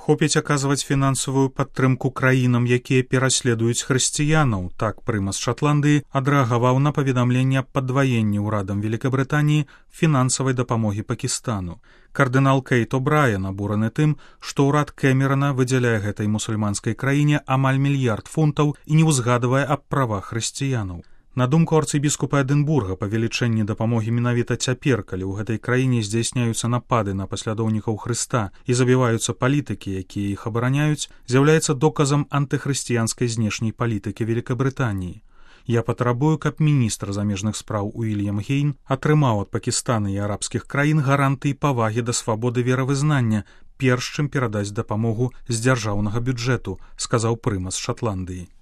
Хопіць аказваць фінансавую падтрымку краінам, якія пераследуюць хрысціянаў. Так прымас Шатландыі адрэагаваў на паведамленне аб падваенні ўрадам Великабрытаніі фінансавай дапамогі Пакістану. Кардынал Кейт О'Брайен абураны тым, што ўрад Кэмерана выдзяляе гэтай мусульманскай краіне амаль мільярд фунтаў і не ўзгадвае аб правах хрысціянаў. На думку арцыбіскупа Эдынбурга, павелічэнне дапамогі менавіта цяпер, калі ў гэтай краіне здзяйсняюцца напады на паслядоўнікаў Хрыста і забіваюцца палітыкі, якія іх абараняюць, з'яўляецца доказам антыхрысціянскай знешняй палітыкі Великабрытаніі. Я патрабую, каб міністр замежных спраў Уільям Гейн атрымаў ад Пакістана і арабскіх краін гарантыі павагі да свабоды веравызнання, перш чым перадаць дапамогу з дзяржаўнага бюджэту, сказаў прымас Шатландыі.